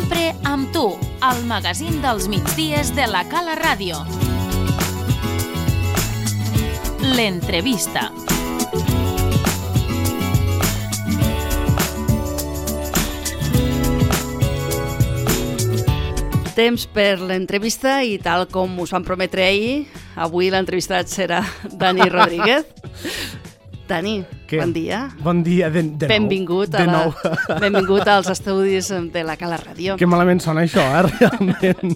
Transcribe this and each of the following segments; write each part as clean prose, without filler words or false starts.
sempre amb tu, al magazín dels migdies de la Cala Ràdio. L'entrevista. Temps per l'entrevista i tal com us vam prometre ahir, avui l'entrevistat serà Dani Rodríguez. Dani, bon dia. Bon dia de nou. Benvingut als estudis de la Cala Ràdio. Que malament sona això, realment.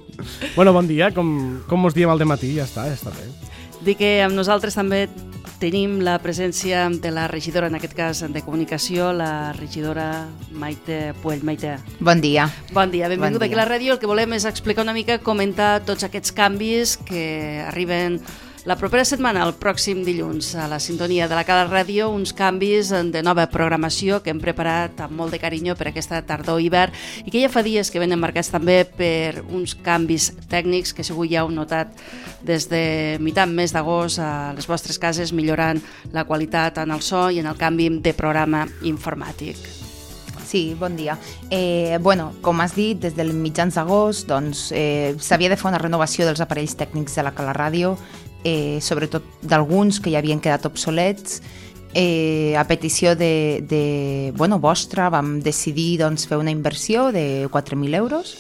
Bueno, bon dia, com us diem al dematí, ja està bé. Dic que amb nosaltres també tenim la presència de la regidora, en aquest cas de comunicació, la regidora Maite Puell. Maite. Bon dia. Bon dia, benvingut aquí a la ràdio. El que volem és explicar una mica, comentar tots aquests canvis que arriben la propera setmana, el pròxim dilluns, a la sintonia de la Cala Ràdio, uns canvis de nova programació que hem preparat amb molt de carinyo per aquesta tardor-hivern i que ja fa dies que venen marcats també per uns canvis tècnics que segur ja heu notat des de mitjan mes d'agost a les vostres cases, millorant la qualitat en el so i en el canvi de programa informàtic. Sí, bon dia. Com has dit, des del mitjans d'agost s'havia de fer una renovació dels aparells tècnics de la Cala Ràdio, sobretot d'alguns que ja havien quedat obsolets. A petició vostra vam decidir fer una inversió de 4.000 euros,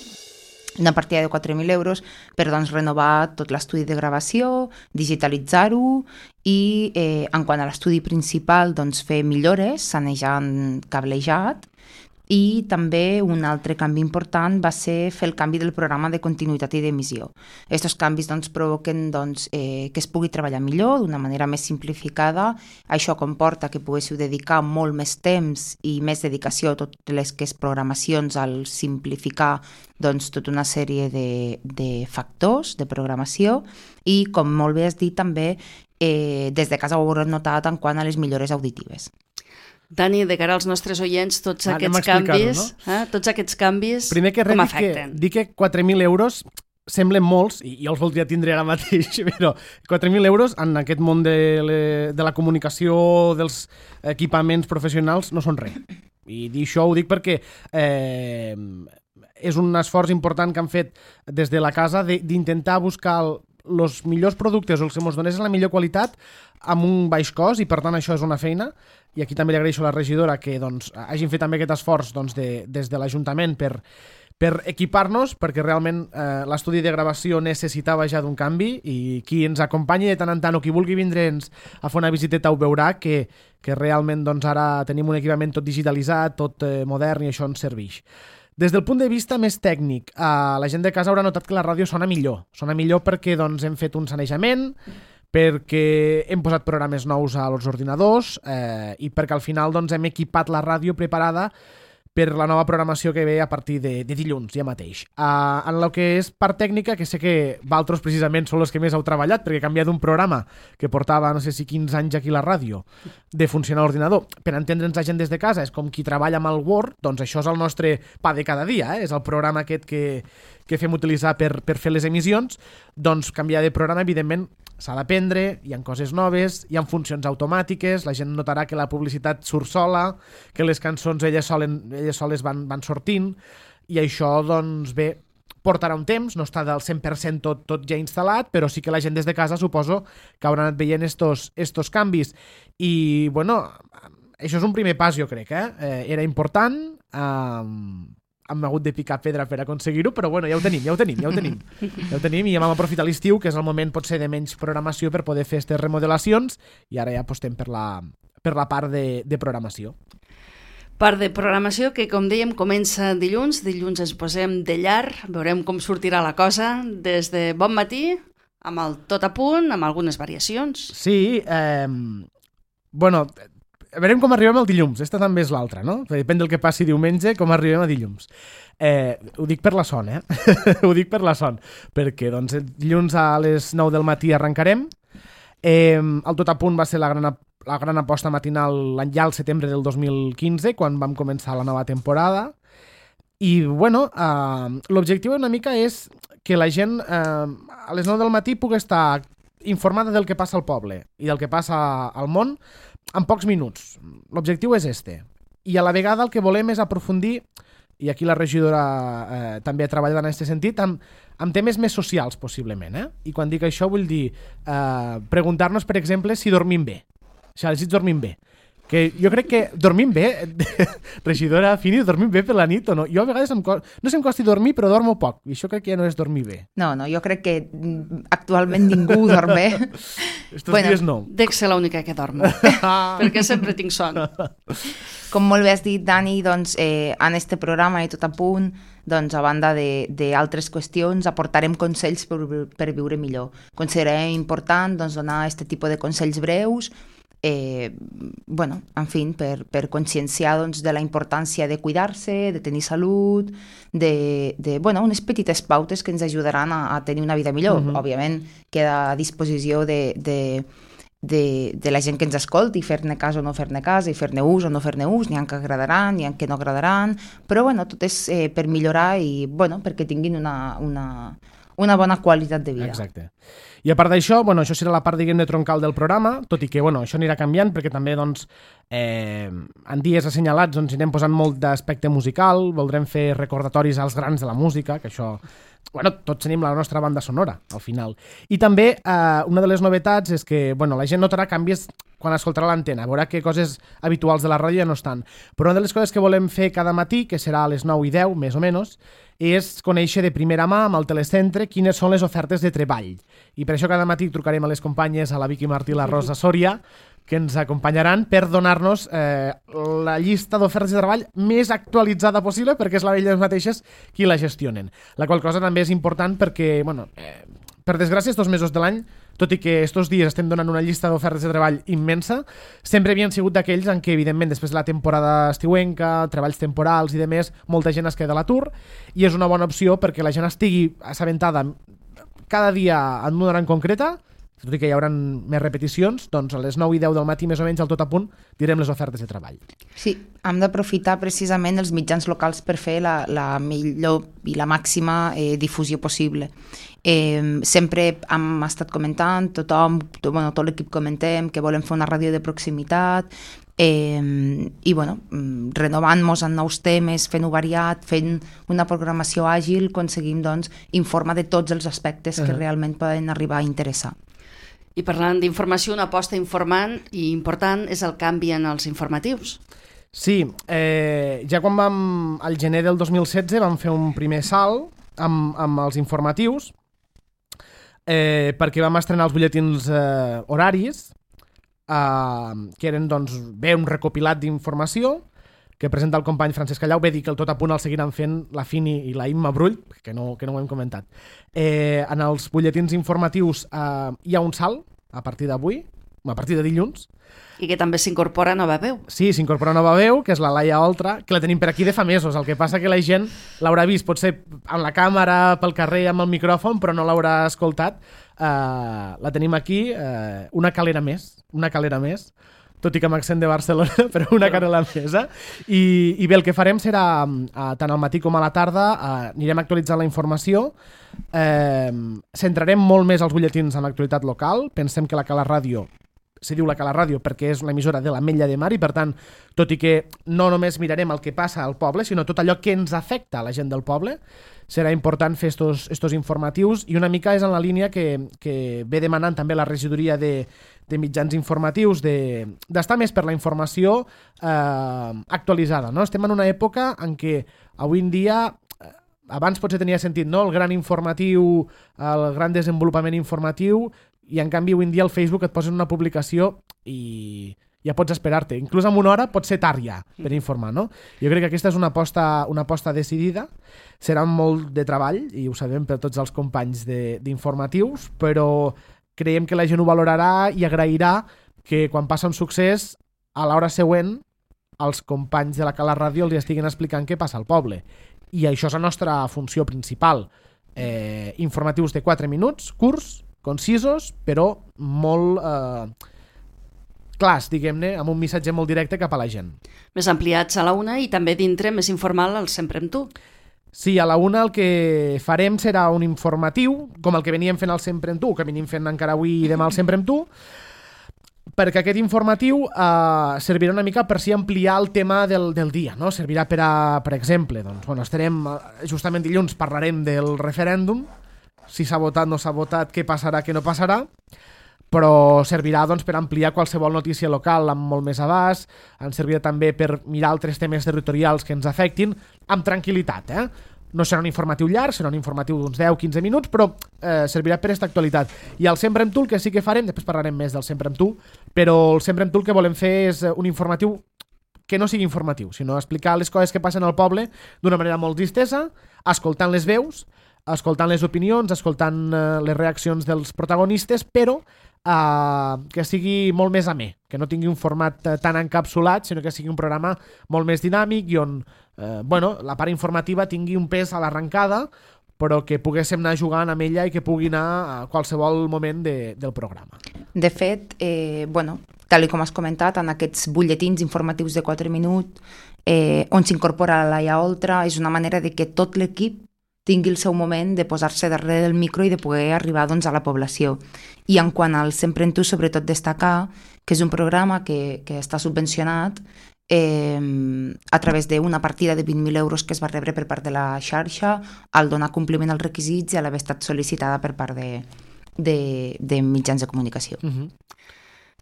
una partida de 4.000 euros per renovar tot l'estudi de gravació, digitalitzar-ho i en quant a l'estudi principal fer millores, sanejant cablejat. I també un altre canvi important va ser fer el canvi del programa de continuïtat i d'emissió. Aquests canvis provoquen que es pugui treballar millor, d'una manera més simplificada. Això comporta que poguéssiu dedicar molt més temps i més dedicació a totes les que és programacions al simplificar tota una sèrie de factors de programació i, com molt bé has dit, també des de casa ho haurem notat en quant a les millores auditives. Dani, de cara als nostres oients, tots aquests canvis, primer que com afecten? Dic que 4.000 euros semblen molts, i jo els voldria tindre ara mateix, però 4.000 euros en aquest món de la comunicació, dels equipaments professionals, no són res. I això ho dic perquè és un esforç important que han fet des de la casa d'intentar buscar els millors productes o els que ens donessin la millor qualitat amb un baix cost, i per tant això és una feina. I aquí també li agraeixo a la regidora que hagin fet també aquest esforç des de l'Ajuntament per equipar-nos, perquè realment l'estudi de gravació necessitava ja d'un canvi, i qui ens acompanyi de tant en tant o qui vulgui vindre'ns a fer una visiteta ho veurà que realment ara tenim un equipament tot digitalitzat, tot modern, i això ens serveix. Des del punt de vista més tècnic, la gent de casa haurà notat que la ràdio sona millor perquè hem fet un sanejament, perquè hem posat programes nous als ordinadors i perquè al final hem equipat la ràdio preparada per la nova programació que ve a partir de dilluns ja mateix. En el que és part tècnica, que sé que vosaltres precisament són els que més heu treballat, perquè he canviat un programa que portava no sé si 15 anys aquí a la ràdio de funcionar a l'ordinador. Per entendre'ns la gent des de casa, és com qui treballa amb el Word, doncs això és el nostre pa de cada dia, és el programa aquest que fem utilitzar per fer les emissions. Doncs canviar de programa, evidentment, s'ha d'aprendre, hi ha coses noves, hi ha funcions automàtiques, la gent notarà que la publicitat surt sola, que les cançons elles soles van sortint, i això, portarà un temps, no està del 100% tot ja instal·lat, però sí que la gent des de casa suposo que haurà anat veient estos canvis. I, això és un primer pas, jo crec, era important, hem hagut de picar pedra per aconseguir-ho, però ja ho tenim. Ja ho tenim, i ja vam aprofitar l'estiu, que és el moment potser de menys programació, per poder fer aquestes remodelacions, i ara ja apostem per la part de programació. Part de programació que, com dèiem, comença dilluns ens posem de llar, veurem com sortirà la cosa, des de bon matí, amb el tot a punt, amb algunes variacions. Sí, veurem com arribem al dilluns, aquesta també és l'altra, no? Depèn del que passi diumenge, com arribem a dilluns. Ho dic per la son, ho dic per la son, perquè dilluns a les 9 del matí arrencarem. El tot a punt va ser la gran aposta matinal ja al setembre del 2015, quan vam començar la nova temporada. I, l'objectiu una mica és que la gent a les 9 del matí pugui estar informada del que passa al poble i del que passa al món en pocs minuts. L'objectiu és este. I a la vegada el que volem és aprofundir i aquí la regidora també ha treballat en aquest sentit, amb temes més socials, possiblement. I quan dic això vull dir preguntar-nos, per exemple, si dormim bé. Si els nits dormim bé. Que jo crec que dormim bé, regidora Fini, dormim bé per la nit o no? Jo a vegades no sé em costi dormir, però dormo poc. I això crec que ja no és dormir bé. No, jo crec que actualment ningú dorm bé. Estos dies no. Dec ser l'única que dormo, perquè sempre tinc son. Com molt bé has dit, Dani, doncs, en este programa i tot a punt, doncs, a banda d'altres qüestions, aportarem consells per viure millor. Considerem important doncs, donar aquest tipus de consells breus, en fi, per conscienciar doncs, de la importància de cuidar-se, de tenir salut, unes petites pautes que ens ajudaran a tenir una vida millor. Òbviament, queda a disposició de la gent que ens escolti, fer-ne cas o no fer-ne cas, i fer-ne ús o no fer-ne ús, n'hi ha que agradaran, n'hi ha que no agradaran, però tot és per millorar i perquè tinguin una bona qualitat de vida. Exacte. I a part d'això, això serà la part, diguem-ne, troncal del programa, tot i que, això anirà canviant, perquè també, en dies assenyalats anirem posant molt d'aspecte musical, voldrem fer recordatoris als grans de la música, que això, tots tenim la nostra banda sonora, al final. I també, una de les novetats és que, la gent notarà canvis quan escoltarà l'antena, veurà que coses habituals de la ràdio ja no estan. Però una de les coses que volem fer cada matí, que serà a les 9:10, més o menys, és conèixer de primera mà amb el telecentre quines són les ofertes de treball. I per això cada matí trucarem a les companyes, a la Vicky Martí i la Rosa Sòria, que ens acompanyaran per donar-nos la llista d'ofertes de treball més actualitzada possible, perquè és elles mateixes qui la gestionen. La qual cosa també és important perquè, per desgràcia, estos mesos de l'any, tot i que estos dies estem donant una llista d'ofertes de treball immensa, sempre havien sigut d'aquells en què, evidentment, després de la temporada estiuenca, treballs temporals i demés, molta gent es queda a l'atur, i és una bona opció perquè la gent estigui assabentada cada dia en una hora en concreta, tot i que hi haurà més repeticions, doncs a les 9:10 del matí, més o menys, al tot a punt, direm les ofertes de treball. Sí, hem d'aprofitar precisament els mitjans locals per fer la millor i la màxima difusió possible. Sempre hem estat comentant, tot l'equip comentem que volem fer una ràdio de proximitat, i renovant-nos en nous temes, fent-ho variat, fent una programació àgil, aconseguim informar de tots els aspectes que realment poden arribar a interessar. I parlant d'informació, una aposta informant i important és el canvi en els informatius. Sí, ja quan al gener del 2016 vam fer un primer salt amb els informatius, perquè vam estrenar els butlletins horaris, que eren un recopilat d'informació que presenta el company Francesc Callau. Bé dir que el tot a punt el seguiran fent la Fini i la Imma Brull, que no ho hem comentat. En els butlletins informatius hi ha un salt a partir d'avui, a partir de dilluns. I que també s'incorpora nova veu. Sí, s'incorpora nova veu, que és la Laia Oltra, que la tenim per aquí de fa mesos. El que passa que la gent l'haurà vist, potser amb la càmera, pel carrer, amb el micròfon, però no l'haurà escoltat. La tenim aquí, una calera més, tot i que amb accent de Barcelona, però una calera més. I bé, el que farem serà, tant al matí com a la tarda, anirem actualitzant la informació, centrarem molt més els butlletins en l'actualitat local. Pensem que la Cala Ràdio se diu la Cala Ràdio perquè és una emissora de l'Ametlla de Mar i, per tant, tot i que no només mirarem el que passa al poble, sinó tot allò que ens afecta a la gent del poble, serà important fer estos informatius, i una mica és en la línia que ve demanant també la regidoria de mitjans informatius d'estar més per la informació actualitzada. Estem en una època en què avui en dia, abans potser tenia sentit, el gran informatiu, el gran desenvolupament informatiu, i en canvi avui en dia al Facebook et posen una publicació i ja pots esperar-te. Inclús en una hora pot ser tard ja per informar, no? Jo crec que aquesta és una aposta decidida. Serà molt de treball, i ho sabem per tots els companys d'informatius, però creiem que la gent ho valorarà i agrairà que quan passa un succés, a l'hora següent, els companys de la Cala Ràdio els estiguin explicant què passa al poble. I això és la nostra funció principal. Informatius de 4 minuts, curts, concisos, però molt clars, diguem-ne, amb un missatge molt directe cap a la gent. Més ampliats a la 1 i també dintre més informal al Sempre amb tu. Sí, a la 1 el que farem serà un informatiu, com el que veníem fent al Sempre amb tu, que venim fent encara avui i demà al Sempre amb tu, perquè aquest informatiu servirà una mica per si ampliar el tema del dia, no? Servirà per exemple, doncs, bueno, estarem justament dilluns, parlarem del referèndum, si s'ha votat, no s'ha votat, què passarà, què no passarà, però servirà doncs, per ampliar qualsevol notícia local amb molt més abast, ens servirà també per mirar altres temes territorials que ens afectin amb tranquil·litat, No serà un informatiu llarg, serà un informatiu d'uns 10-15 minuts, però servirà per aquesta actualitat. I el Sempre amb tu, el que sí que farem, després parlarem més del Sempre amb tu, però el Sempre amb tu el que volem fer és un informatiu que no sigui informatiu, sinó explicar les coses que passen al poble d'una manera molt distesa, escoltant les veus, escoltant les opinions, escoltant les reaccions dels protagonistes, però que sigui molt més amè, que no tingui un format tan encapsulat, sinó que sigui un programa molt més dinàmic i on la part informativa tingui un pes a l'arrencada, però que poguéssim anar jugant amb ella i que pugui anar a qualsevol moment del programa. De fet, tal com has comentat, en aquests butlletins informatius de 4 minuts, on s'incorpora la Laia Oltra, és una manera de que tot l'equip tingui el seu moment de posar-se darrere del micro i de poder arribar doncs, a la població. I en quant al Sempre en tu, sobretot destacar que és un programa que està subvencionat a través d'una partida de 20.000 euros que es va rebre per part de la xarxa al donar compliment als requisits i a l'haver estat sol·licitada per part de mitjans de comunicació.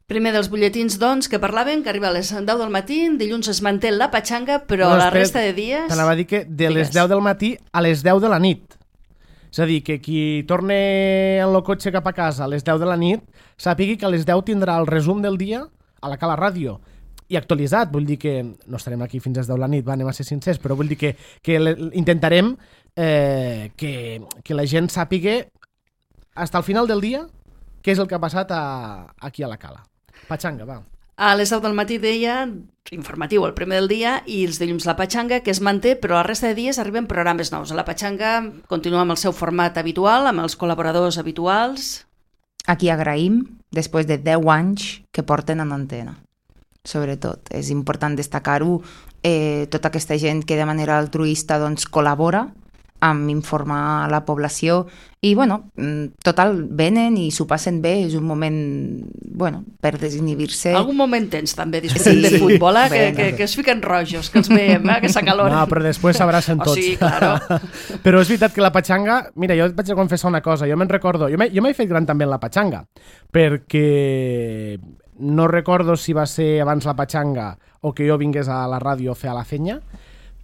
Primer dels butlletins, doncs, que parlaven, que arriba a les 10 del matí, dilluns es manté la patxanga, però la resta de dies... T'anava a dir que de les 10 del matí a les 10 de la nit. És a dir, que qui torne en el cotxe cap a casa a les 10 de la nit sàpigui que a les 10 tindrà el resum del dia a la Cala Ràdio i actualitzat. Vull dir que no estarem aquí fins a les 10 de la nit, anem a ser sincers, però vull dir que intentarem que la gent sàpiga fins al final del dia què és el que ha passat aquí a la Cala. Patxanga, va. A les 10 del matí deia informatiu el primer del dia i els dilluns la patxanga, que es manté, però la resta de dies arriben programes nous. La patxanga continua amb el seu format habitual, amb els col·laboradors habituals. Aquí agraïm, després de 10 anys que porten en antena. Sobretot, és important destacar-ho, tota aquesta gent que de manera altruista doncs, col·labora amb informar a la població i, total, venen i s'ho passen bé, és un moment, per desinhibir-se. Algun moment tens també discutint de futbol, que es fiquen rojos, que els veiem, que s'acaloren. No, però després s'abracen tots. Sí, claro. Però és veritat que la patxanga, mira, jo et vaig a confessar una cosa, jo me'n recordo, jo m'he fet gran també en la patxanga, perquè no recordo si va ser abans la patxanga o que jo vingués a la ràdio a fer a la fenya,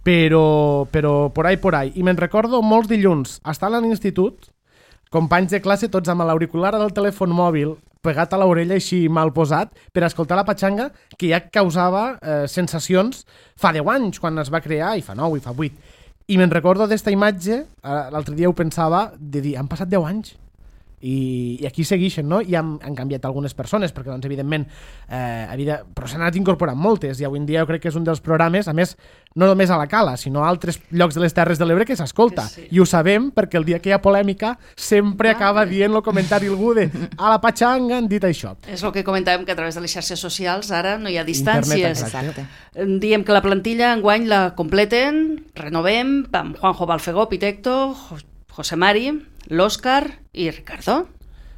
però por ahí. I me'n recordo molts dilluns, estar a l'institut, companys de classe tots amb l'auricular del telèfon mòbil pegat a l'orella així mal posat per escoltar la patxanga que ja causava sensacions fa 10 anys quan es va crear, i fa 9 i fa 8. I me'n recordo d'esta imatge, l'altre dia ho pensava, de dir, han passat 10 anys. I aquí segueixen, no? I han canviat algunes persones, perquè, doncs, evidentment, però s'han anat incorporant moltes, i avui en dia jo crec que és un dels programes, a més, no només a la Cala, sinó a altres llocs de les Terres de l'Ebre que s'escolta. Sí. I ho sabem perquè el dia que hi ha polèmica sempre acaba dient el comentari algú de a la patxanga han dit això. És el que comentàvem, que a través de les xarxes socials ara no hi ha distàncies. Exacte. Diem que la plantilla enguany la completen, renovem, amb Juanjo Balfegó, Pitecto, José Mari, l'Òscar i Ricardo.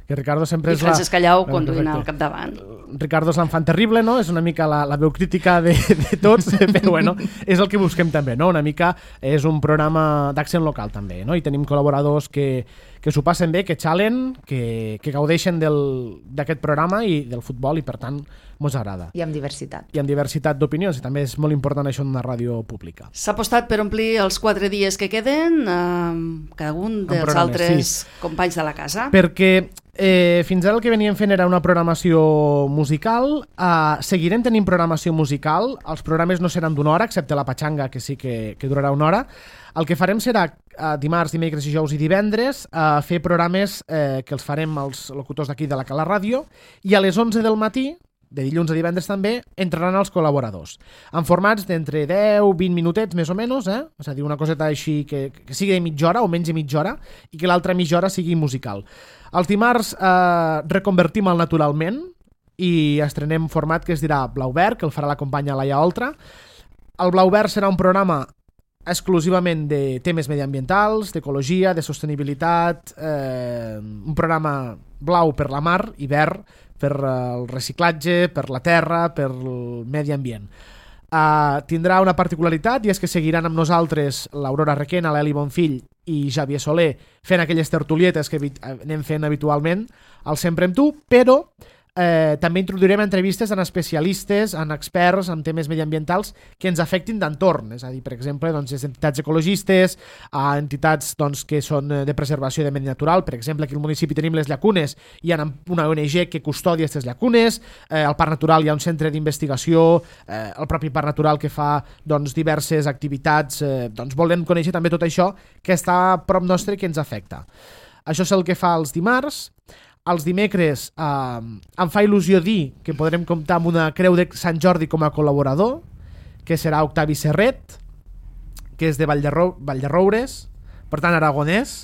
Que Ricardo sempre és Francesc Callau conduint al capdavant. Ricardo és l'enfant terrible, no? És una mica la veu crítica de tots, però és el que busquem també, no? Una mica és un programa d'accent local també, no? I tenim col·laboradors que s'ho passen bé, que xalen, que gaudeixen d'aquest programa i del futbol i per tant mos agrada. I amb diversitat. I amb diversitat d'opinions, i també és molt important això en una ràdio pública. S'ha apostat per omplir els 4 dies que queden cada un dels altres companys de la casa. Perquè fins ara el que veníem fent era una programació musical, seguirem tenint programació musical, els programes no seran d'una hora, excepte la patxanga, que sí que durarà una hora. El que farem serà dimarts, dimecres, dijous i divendres fer programes que els farem els locutors d'aquí de la Cala Ràdio, i a les 11 del matí, de dilluns a divendres també, entraran els col·laboradors, en formats d'entre 10-20 minutets més o menys, és a dir, una coseta així que sigui de mitja hora o menys de mitja hora, i que l'altra mitja hora sigui musical. Els dimarts reconvertim el Naturalment i estrenem un format que es dirà Blau Verd, que el farà la companya Laia Oltra. El Blau Verd serà un programa exclusivament de temes mediambientals, d'ecologia, de sostenibilitat, un programa blau per la mar i verd per el reciclatge, per la terra, per el medi ambient. Tindrà una particularitat i és que seguiran amb nosaltres l'Aurora Requena, l'Eli Bonfill i Xavier Soler fent aquelles tertulietes que anem fent habitualment al Sempre amb tu, però també introduirem entrevistes en especialistes, en experts en temes mediambientals que ens afectin d'entorn, és a dir, per exemple, doncs, entitats ecologistes, entitats doncs, que són de preservació de medi natural. Per exemple, aquí al municipi tenim les llacunes, hi ha una ONG que custodia aquestes llacunes, al Parc Natural hi ha un centre d'investigació, el propi Parc Natural que fa doncs, diverses activitats, doncs volem conèixer també tot això que està a prop nostre i que ens afecta. Això és el que fa els dimarts. Els dimecres em fa il·lusió dir que podrem comptar amb una Creu de Sant Jordi com a col·laborador, que serà Octavi Serret, que és de Vallderoures, per tant aragonès,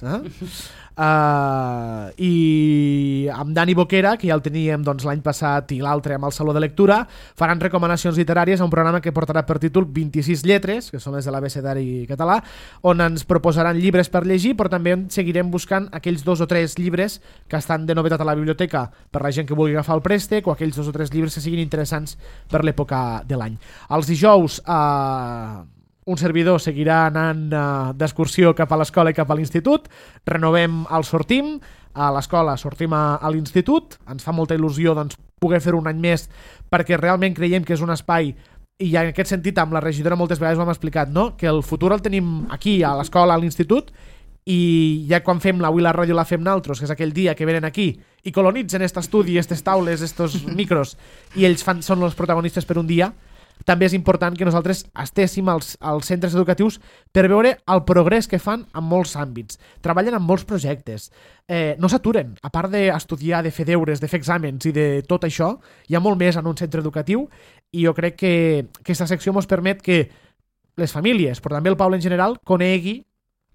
i amb Dani Boquera, que ja el teníem doncs, l'any passat i l'altre amb el Saló de Lectura, faran recomanacions literàries a un programa que portarà per títol 26 lletres, que són les de l'abecedari català, on ens proposaran llibres per llegir, però també seguirem buscant aquells 2 o 3 llibres que estan de novetat a la biblioteca per la gent que vulgui agafar el préstec, o aquells 2 o 3 llibres que siguin interessants per l'època de l'any. Els dijous un servidor seguirà anant d'excursió cap a l'escola i cap a l'institut, renovem el Sortim, a l'escola sortim a l'institut, ens fa molta il·lusió doncs, poder fer un any més perquè realment creiem que és un espai, i en aquest sentit amb la regidora moltes vegades ho hem explicat, no? Que el futur el tenim aquí, a l'escola, a l'institut, i ja quan fem avui la ràdio la fem naltros, que és aquell dia que venen aquí i colonitzen aquest estudi, aquestes taules, estos micros, i ells són els protagonistes per un dia. També és important que nosaltres estéssim als centres educatius per veure el progrés que fan en molts àmbits. Treballen en molts projectes. No s'aturen. A part d'estudiar, de fer deures, de fer exàmens i de tot això, hi ha molt més en un centre educatiu, i jo crec que aquesta secció ens permet que les famílies, però també el poble en general, conegui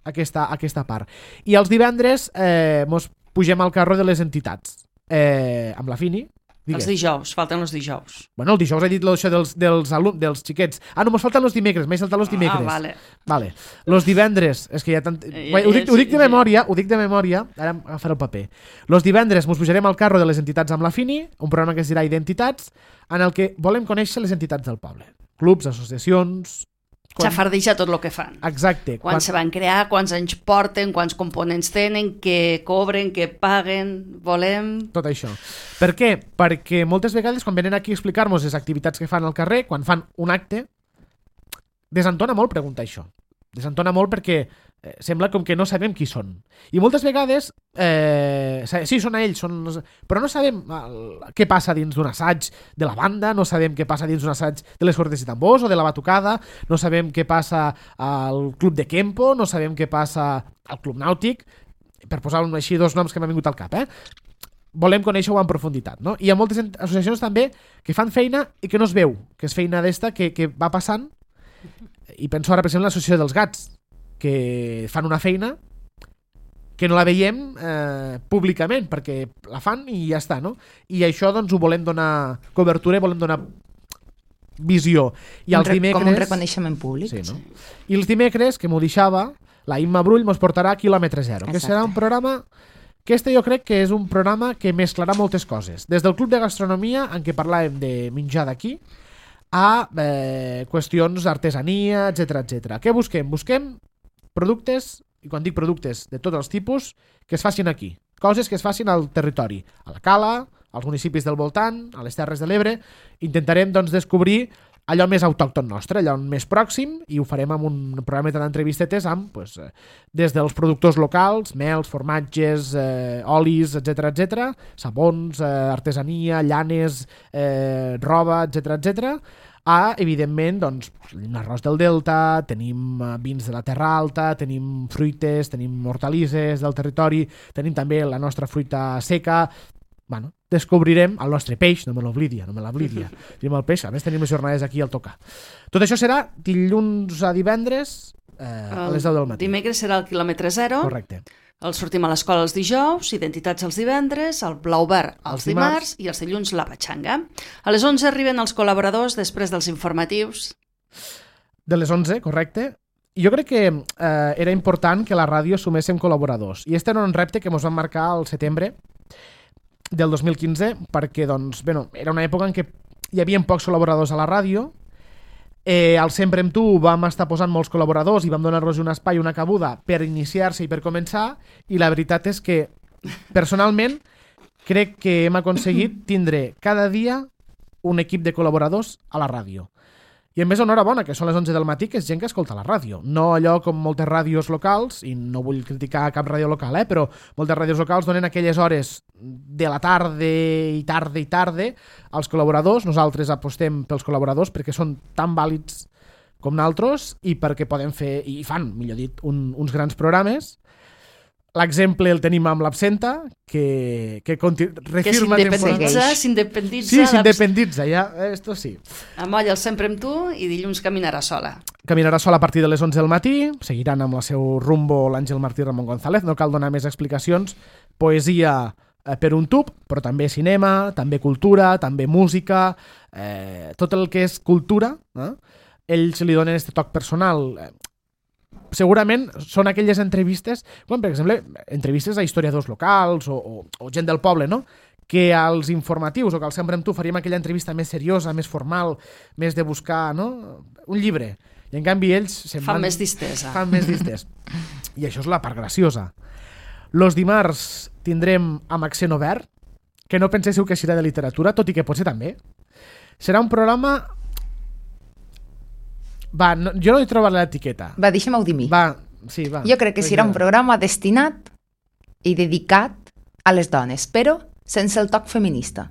aquesta part. I els divendres ens pugem al carro de les entitats. Amb la Fini. Els dijous, falten els dijous. Bueno, el dijous he dit això dels xiquets. No, mos falten els dimecres, m'he saltat els dimecres. Vale. Los divendres, és que hi ha tant... Ho dic de memòria, ara agafaré el paper. Los divendres mos pujarem al carro de les entitats amb la Fini, un programa que es dirà Identitats, en el que volem conèixer les entitats del poble. Clubs, associacions... Xafardeja tot el que fan. Exacte. Quan se van crear, quants anys porten, quants components tenen, què cobren, què paguen, volem... Tot això. Per què? Perquè moltes vegades quan venen aquí a explicar-nos les activitats que fan al carrer, quan fan un acte, desentona molt preguntar això. Desentona molt perquè sembla com que no sabem qui són. I moltes vegades, sí, són ells, però no sabem què passa dins d'un assaig de la banda, no sabem què passa dins d'un assaig de les cordes i tambors o de la batucada, no sabem què passa al club de Kempo, no sabem què passa al club nàutic, per posar així 2 noms que m'han vingut al cap, volem conèixer-ho en profunditat, no? Hi ha moltes associacions també que fan feina i que no es veu, que és feina d'esta que va passant, i penso ara per exemple l'associació dels gats, que fan una feina que no la veiem públicament, perquè la fan i ja està, no? I això doncs ho volem donar cobertura, volem donar visió. I els dimecres... Com un reconeixement públic. Sí, no? I els dimecres, que m'ho deixava, la Imma Brull mos portarà a Quilòmetre Zero, que serà un programa... que jo crec que és un programa que mesclarà moltes coses. Des del Club de Gastronomia, en què parlàvem de menjar d'aquí, a qüestions d'artesania, etc. Què busquem? Busquem productes, i quan dic productes de tots els tipus, que es facin aquí. Coses que es facin al territori, a la Cala, als municipis del voltant, a les Terres de l'Ebre. Intentarem doncs, descobrir allò més autòcton nostre, allò més pròxim, i ho farem amb un programa d'entrevistetes amb, des dels productors locals, mels, formatges, olis, etc, sabons, artesania, llanes, roba, etc, evidentment, doncs, tenim l'arròs del Delta, tenim vins de la Terra Alta, tenim fruites, tenim hortalisses del territori, tenim també la nostra fruita seca. Bueno, descobrirem el nostre peix, no me l'oblidia. Tenim el peix, a més tenim les jornades aquí al tocar. Tot això serà dilluns a divendres a les 10 del matí. Dimecres serà el Quilòmetre Zero. Correcte. El sortim a l'escola els dijous, Identitats els divendres, el Blau Verd els dimarts i els dilluns la Patxanga. A les 11 arriben els col·laboradors després dels informatius. De les 11, correcte. Jo crec que era important que la ràdio suméssim col·laboradors. I este era un repte que ens vam marcar al setembre. del 2015 perquè doncs, era una època en què hi havia pocs col·laboradors a la ràdio. Al Sempre amb tu vam estar posant molts col·laboradors i vam donar-los un espai, una cabuda per iniciar-se i per començar, i la veritat és que personalment crec que hem aconseguit tindre cada dia un equip de col·laboradors a la ràdio. I a més, enhorabona, que són les 11 del matí, que és gent que escolta la ràdio. No allò com moltes ràdios locals, i no vull criticar cap ràdio local, però moltes ràdios locals donen aquelles hores de la tarda als col·laboradors. Nosaltres apostem pels col·laboradors perquè són tan vàlids com nosaltres i perquè poden fer, i fan, millor dit, uns grans programes. L'exemple el tenim amb l'Absenta, que refirma... Que s'independitza. Sí, s'independitza, ja, esto sí. Amolla el Sempre amb tu i dilluns caminarà sola. Caminarà sola a partir de les 11 del matí, seguiran amb el seu rumbo l'Àngel Martí i Ramon González, no cal donar més explicacions. Poesia per un tub, però també cinema, també cultura, també música, tot el que és cultura, ells li donen aquest toc personal. Segurament són aquelles entrevistes, com per exemple entrevistes a historiadors locals o gent del poble, no? Que als informatius o que al Sempre amb tu faríem aquella entrevista més seriosa, més formal, més de buscar, no? Un llibre. I en canvi ells fan més distesa. Fan més distés. I això és la part graciosa. Los dimarts tindrem amb accent obert, que no penséssiu que serà de literatura, tot i que potser també. Serà un programa... Va, no, jo no he trobat l'etiqueta. Va, deixa'm-ho dir mi. Va. Jo crec que serà un programa destinat i dedicat a les dones, però sense el toc feminista.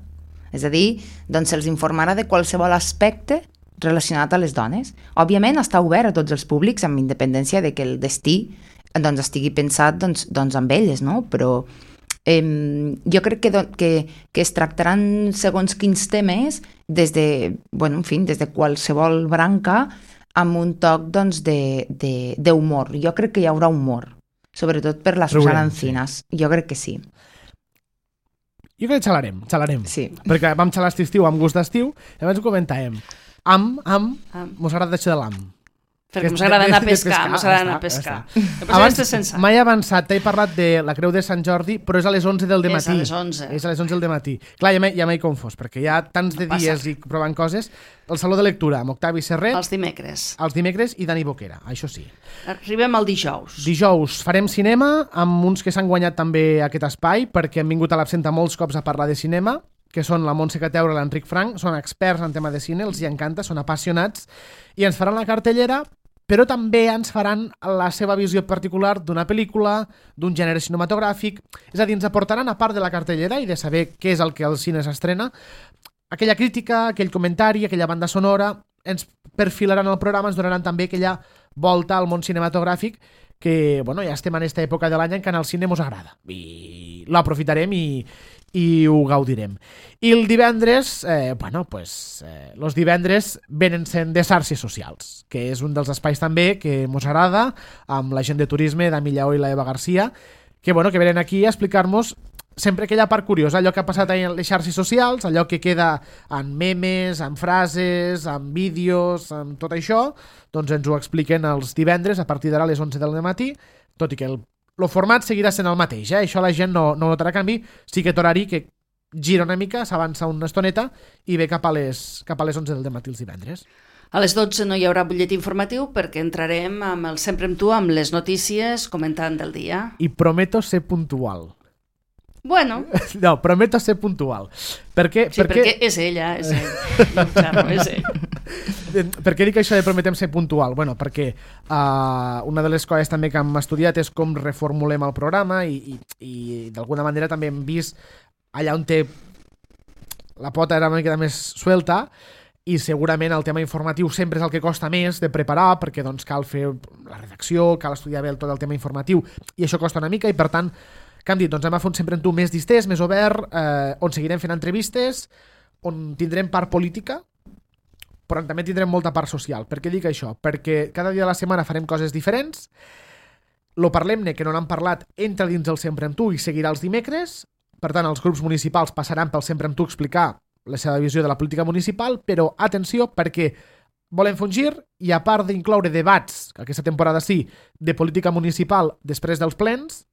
És a dir, doncs se'ls informarà de qualsevol aspecte relacionat a les dones. Òbviament està obert a tots els públics, amb independència de que el destí doncs, estigui pensat doncs, amb elles, no? Però jo crec que es tractaran segons quins temes des de qualsevol branca, amb un toc doncs, d'humor. Jo crec que hi haurà humor, sobretot per la Susana Encinas. Sí. Jo crec que sí. Jo crec que xalarem. Sí. Perquè vam xalar estiu amb gust d'estiu, i abans ho comentàvem. Mos agrada això de l'am. Perquè ens agrada anar a pescar. Abans m'he avançat, t'he parlat de la Creu de Sant Jordi, però és a les 11 del dematí. És a les 11 del dematí. Clar, ja m'he confós, perquè hi ha tants de dies i provant coses. El Saló de Lectura, amb Octavi Serret. Els dimecres i Dani Boquera, això sí. Arribem al dijous. Dijous farem cinema, amb uns que s'han guanyat també aquest espai, perquè han vingut a l'Absenta molts cops a parlar de cinema, que són la Montse Cateura i l'Enric Frank, són experts en tema de cine, els hi encanta, són apassionats, i ens faran la cartellera, però també ens faran la seva visió particular d'una pel·lícula, d'un gènere cinematogràfic, és a dir, ens aportaran, a part de la cartellera i de saber què és el que al cine s'estrena, aquella crítica, aquell comentari, aquella banda sonora, ens perfilaran el programa, ens donaran també aquella volta al món cinematogràfic que, ja estem en aquesta època de l'any en què al cine mos agrada i l'aprofitarem i ho gaudirem. I el divendres, los divendres venen sent de xarxes socials, que és un dels espais també que mos agrada, amb la gent de turisme, Dami Lleó i la Eva Garcia, que venen aquí a explicar-nos sempre aquella part curiosa, allò que ha passat en les xarxes socials, allò que queda en memes, en frases, en vídeos, en tot això, doncs ens ho expliquen els divendres a partir d'ara a les 11 del matí, tot i que el format seguirà sent el mateix, això la gent no notarà canvi, sí que horari que gira una mica, s'avança una estoneta i ve cap a les 11 del matí els divendres. A les 12 no hi haurà butlletí informatiu perquè entrarem amb el Sempre amb tu, amb les notícies comentant del dia. I prometo ser puntual. Bueno. No, prometo ser puntual. Perquè és ella, és ell. No, claro, és ell. Per què dic això de prometem ser puntual? Perquè una de les coses també que hem estudiat és com reformulem el programa i d'alguna manera també hem vist allà on té la pota era una mica més suelta i segurament el tema informatiu sempre és el que costa més de preparar perquè doncs cal fer la redacció, cal estudiar bé tot el tema informatiu i això costa una mica i per tant que hem dit, doncs hem a fer un Sempre amb tu més distès, més obert, on seguirem fent entrevistes, on tindrem part política, però també tindrem molta part social. Per què dic això? Perquè cada dia de la setmana farem coses diferents, lo parlem-ne, que no n'han parlat, entra dins el Sempre amb tu i seguirà els dimecres, per tant els grups municipals passaran pel Sempre amb tu a explicar la seva visió de la política municipal, però atenció perquè volem fer un gir i a part d'incloure debats, que aquesta temporada sí, de política municipal després dels plens,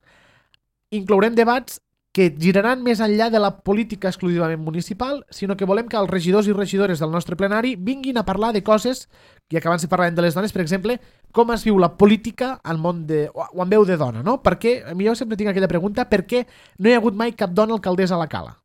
inclourem debats que giraran més enllà de la política exclusivament municipal, sinó que volem que els regidors i regidores del nostre plenari vinguin a parlar de coses, i que abans si parlàvem de les dones, per exemple, com es viu la política al món o en veu de dona, no? Perquè, jo sempre tinc aquella pregunta, per què no hi ha hagut mai cap dona alcaldessa a la Cala?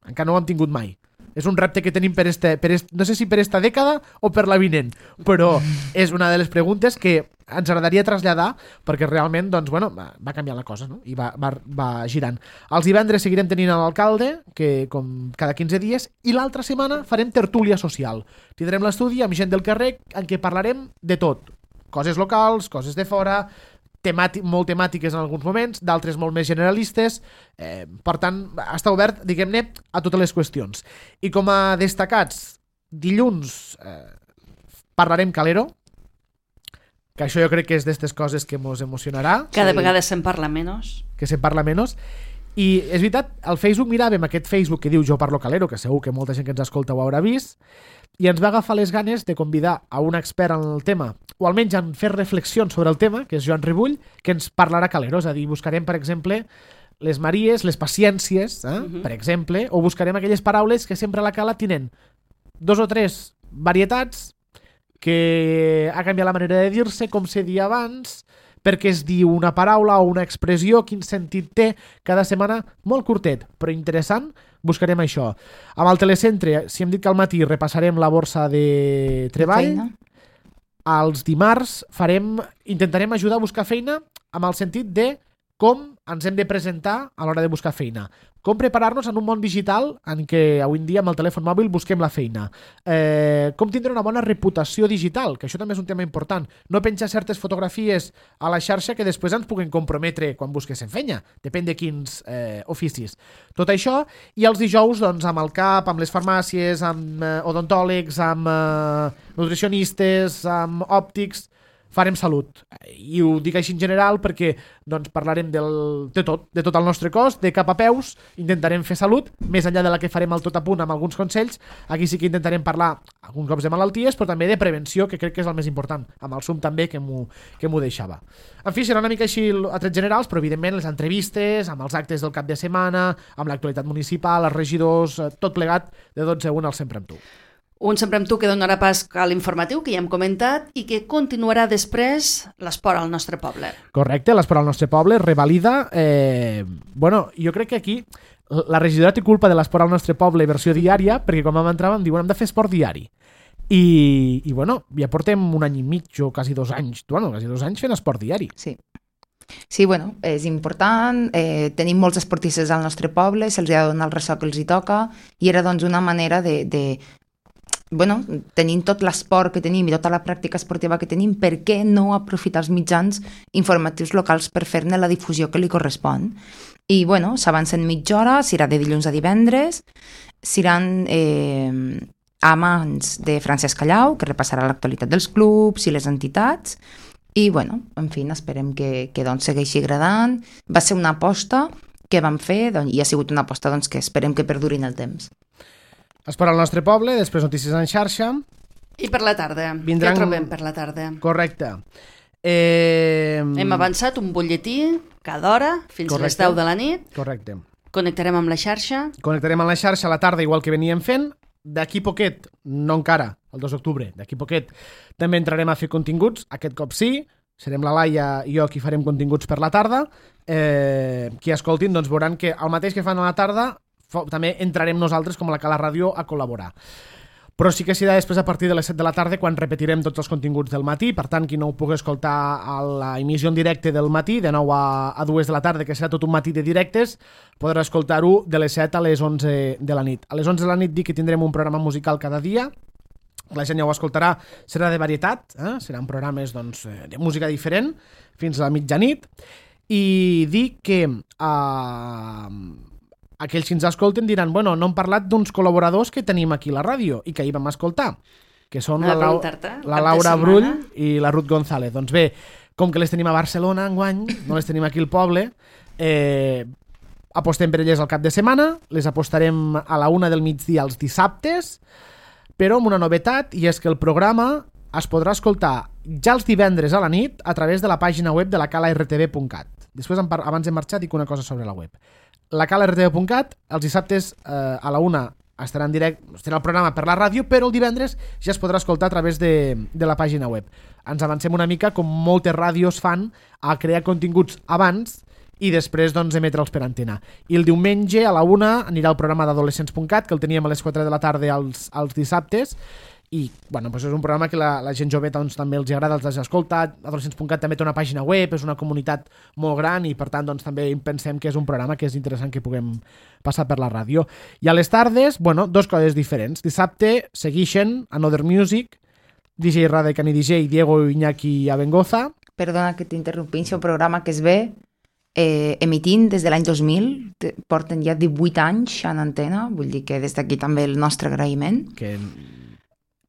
Encara no ho hem tingut mai. És un repte que tenim no sé si per esta dècada o per la vinent, però és una de les preguntes que ens agradaria traslladar, perquè realment doncs, bueno, va canviar la cosa, no? I va girant. Els divendres seguirem tenint l'alcalde, que com cada 15 dies, i l'altra setmana farem tertúlia social. Tindrem l'estudi amb gent del carrer en què parlarem de tot. Coses locals, coses de fora, molt temàtiques en alguns moments, d'altres molt més generalistes, per tant, està obert, diguem-ne, a totes les qüestions. I com a destacats, dilluns parlarem Calero, que això jo crec que és d'estes coses que ens emocionarà. Cada vegada se'n parla menys. Que se'n parla menys. I és veritat, al Facebook miràvem aquest Facebook que diu Jo parlo Calero, que segur que molta gent que ens escolta ho haurà vist, i ens va agafar les ganes de convidar a un expert en el tema, o almenys en fer reflexions sobre el tema, que és Joan Ribull, que ens parlarà Calero. És a dir, buscarem, per exemple, les Maries, les paciències, per exemple, o buscarem aquelles paraules que sempre a la Cala tenen 2 o 3 varietats, que ha canviat la manera de dir-se, com se dia abans, perquè es diu una paraula o una expressió, quin sentit té, cada setmana molt curtet, però interessant, buscarem això. Amb el telecentre, si hem dit que al matí repassarem la borsa de treball, als dimarts intentarem ajudar a buscar feina amb el sentit de com ens hem de presentar a l'hora de buscar feina. Com preparar-nos en un món digital en què avui en dia amb el telèfon mòbil busquem la feina. Com tindre una bona reputació digital, que això també és un tema important. No penjar certes fotografies a la xarxa que després ens puguen comprometre quan busquessin feina. Depèn de quins oficis. Tot això, i els dijous doncs, amb el CAP, amb les farmàcies, amb odontòlegs, amb nutricionistes, amb òptics, farem salut. I ho dic així en general perquè doncs, parlarem de tot el nostre cos, de cap a peus, intentarem fer salut, més enllà de la que farem al tot a punt amb alguns consells. Aquí sí que intentarem parlar alguns cops de malalties, però també de prevenció, que crec que és el més important, amb el Zoom també, que m'ho deixava. En fi, serà una mica així a trets generals, però evidentment les entrevistes, amb els actes del cap de setmana, amb l'actualitat municipal, els regidors, tot plegat de 12 a 1 al Sempre amb tu. Un Sempre amb tu que donarà pas a l'informatiu, que ja hem comentat, i que continuarà després l'esport al nostre poble. Correcte, l'esport al nostre poble, revalida. Jo crec que aquí la regidora té culpa de l'esport al nostre poble versió diària, perquè quan vam entrar vam dir, hem de fer esport diari. I ja portem 1 any i mig o quasi 2 anys, quasi 2 anys fent esport diari. Sí. Sí, és important, tenim molts esportistes al nostre poble, se'ls ha de donar el ressò que els hi toca, i era doncs una manera tenint tot l'esport que tenim i tota la pràctica esportiva que tenim, per què no aprofitar els mitjans informatius locals per fer-ne la difusió que li correspon? I s'avancen mitja hora, serà de dilluns a divendres, seran a mans de Francesc Callau, que repassarà l'actualitat dels clubs i les entitats, i en fi, esperem que segueixi agradant. Va ser una aposta que vam fer i ha sigut una aposta que esperem que perduri en el temps. Esport al nostre poble, després notícies en xarxa. I per la tarda. Què trobem per la tarda? Correcte. Hem avançat un butlletí cada hora, fins a les 10 de la nit. Correcte. Connectarem amb la xarxa. Connectarem amb la xarxa a la tarda, igual que veníem fent. D'aquí poquet, no encara, el 2 d'octubre, d'aquí poquet, també entrarem a fer continguts. Aquest cop sí, serem la Laia i jo qui farem continguts per la tarda. Qui escoltin doncs veuran que el mateix que fan a la tarda també entrarem nosaltres com a la Cala Ràdio a col·laborar. Però sí que serà després a partir de les 7 de la tarda quan repetirem tots els continguts del matí. Per tant, qui no ho pugui escoltar a la emissió en directe del matí, de 9 a 2 de la tarda, que serà tot un matí de directes, podrà escoltar-ho de les 7 a les 11 de la nit. A les 11 de la nit dic que tindrem un programa musical cada dia. La gent ja ho escoltarà, serà de varietat, seran programes de música diferent fins a la mitjanit. I dic que aquells que ens escolten diran, no hem parlat d'uns col·laboradors que tenim aquí a la ràdio i que ahir vam escoltar, que són la Laura Brull i la Ruth González. Doncs bé, com que les tenim a Barcelona enguany, no les tenim aquí al poble, apostem per elles al cap de setmana, les apostarem a la 1 del migdia els dissabtes, però amb una novetat, i és que el programa es podrà escoltar ja els divendres a la nit a través de la pàgina web de la calartv.cat. Després, abans de marxar, dic una cosa sobre la web. lacalartv.cat, els dissabtes a la 1 estarà en directe, estarà el programa per la ràdio, però el divendres ja es podrà escoltar a través de la pàgina web. Ens avancem una mica, com moltes ràdios fan, a crear continguts abans i després doncs, emetre'ls per antena. I el diumenge a la 1 anirà el programa d'adolescents.cat, que el teníem a les 4 de la tarda als dissabtes, i bueno, doncs és un programa que la gent jove doncs, també els agrada, els has escoltat. Adolescents.cat també té una pàgina web, és una comunitat molt gran i per tant doncs, també pensem que és un programa que és interessant que puguem passar per la ràdio. I a les tardes, bueno, dos coses diferents. Dissabte segueixen Another Music, DJ Rada i Cani DJ, Diego Iñaki Abengoza. Perdona que t'interrompin, és un programa que es ve emitint des de l'any 2000, porten ja 18 anys en antena, vull dir que des d'aquí també el nostre agraïment. Que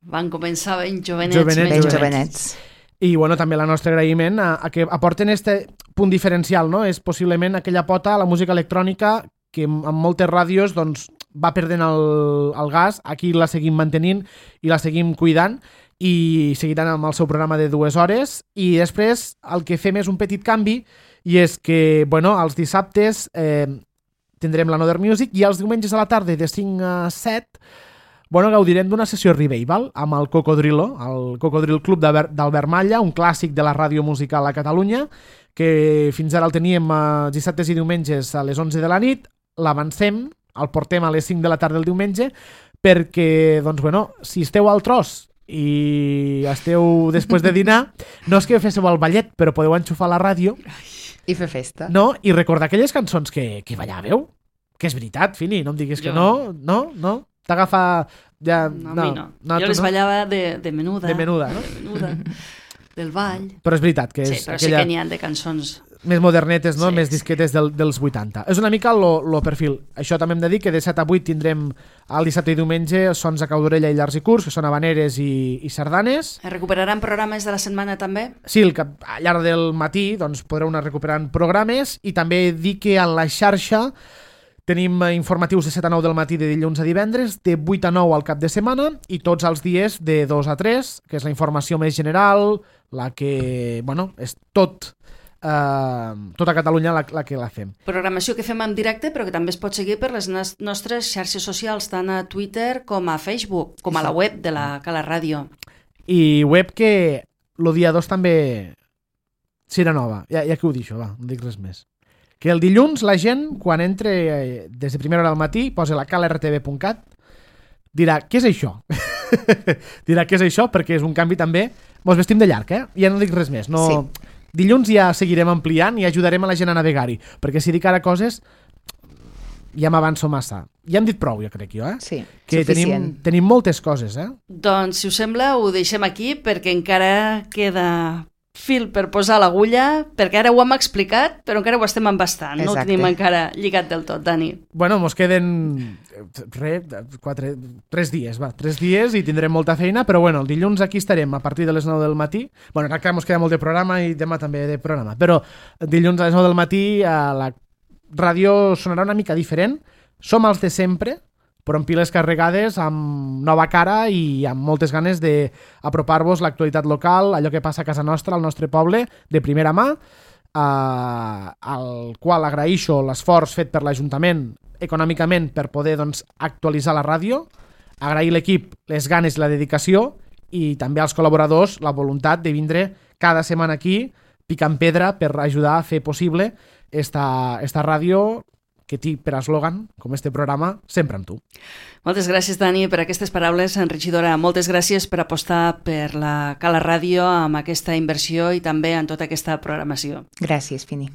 van començar ben jovenets. Ben jovenets. I bueno, també el nostre agraïment a que aporten este punt diferencial, no? És possiblement aquella pota a la música electrònica que en moltes ràdios doncs, va perdent el gas, aquí la seguim mantenint i la seguim cuidant i seguiran amb el seu programa de 2 hores i després el que fem és un petit canvi i és que, bueno, els dissabtes tindrem l'Another Music i els diumenges a la tarda de 5 a 7 bueno, gaudirem d'una sessió revival amb el Cocodrilo, el Cocodril Club d'Albert Malla, un clàssic de la ràdio musical a Catalunya, que fins ara el teníem dissabtes i diumenges a les 11 de la nit, l'avancem, el portem a les 5 de la tarda del diumenge, perquè, doncs, bueno, si esteu al tros i esteu després de dinar, no és que féssiu el ballet, però podeu enxufar la ràdio i fer festa. No? I recordar aquelles cançons que ballàveu, que és veritat, Fini, no em diguis que no. T'agafa... Ja, no, a mi no. Jo les ballava de menuda. De menuda, no? De menuda, del ball. Però és veritat que és sí, però aquella... sí que n'hi ha de cançons... Més modernetes, no? Sí, Més disquetes dels 80. És una mica el perfil. Això també hem de dir que de 7 a 8 tindrem el dissabte i diumenge sons a cau d'orella i llars i curts, que són habaneres i sardanes. Es recuperaran programes de la setmana també? Sí, al llarg del matí doncs, podreu anar recuperant programes i també dir que a la xarxa tenim informatius de 7 a 9 del matí de dilluns a divendres, de 8 a 9 al cap de setmana i tots els dies de 2 a 3, que és la informació més general, la que, bueno, és tota Catalunya la que la fem. Programació que fem en directe, però que també es pot seguir per les nostres xarxes socials, tant a Twitter com a Facebook, com a la web de la Cala Ràdio. I web que el dia 2 també serà nova. Ja que ho deixo, va, no dic res més. Que el dilluns la gent, quan entre des de primera hora del matí, posa la calartv.cat, dirà, què és això? Dirà, què és això? Perquè és un canvi també... Mos vestim de llarg, Ja no dic res més. No... Sí. Dilluns ja seguirem ampliant i ajudarem a la gent a navegar-hi, perquè si dic ara coses ja m'avanço massa. Ja hem dit prou, jo crec, Sí, que tenim moltes coses, Doncs, si us sembla, ho deixem aquí, perquè encara queda fil per posar l'agulla, perquè ara ho hem explicat, però encara ho estem embastant. Exacte. No ho tenim encara lligat del tot, Dani. Bueno, mos queden 3 dies, 3 dies i tindrem molta feina, però bueno, el dilluns aquí estarem a partir de les 9 del matí. Bueno, ara que mos queda molt de programa i demà també de programa, però dilluns a les 9 del matí a la ràdio sonarà una mica diferent. Som els de sempre, però amb piles carregades, amb nova cara i amb moltes ganes d'apropar-vos l'actualitat local, allò que passa a casa nostra, al nostre poble, de primera mà, al qual agraeixo l'esforç fet per l'Ajuntament econòmicament per poder doncs, actualitzar la ràdio, agrair l'equip les ganes i la dedicació i també als col·laboradors la voluntat de vindre cada setmana aquí picant pedra per ajudar a fer possible esta ràdio que té per eslògan, com este programa, sempre amb tu. Moltes gràcies, Dani, per aquestes paraules enriquidora. Moltes gràcies per apostar per la Cala Ràdio amb aquesta inversió i també en tota aquesta programació. Gràcies, Fini.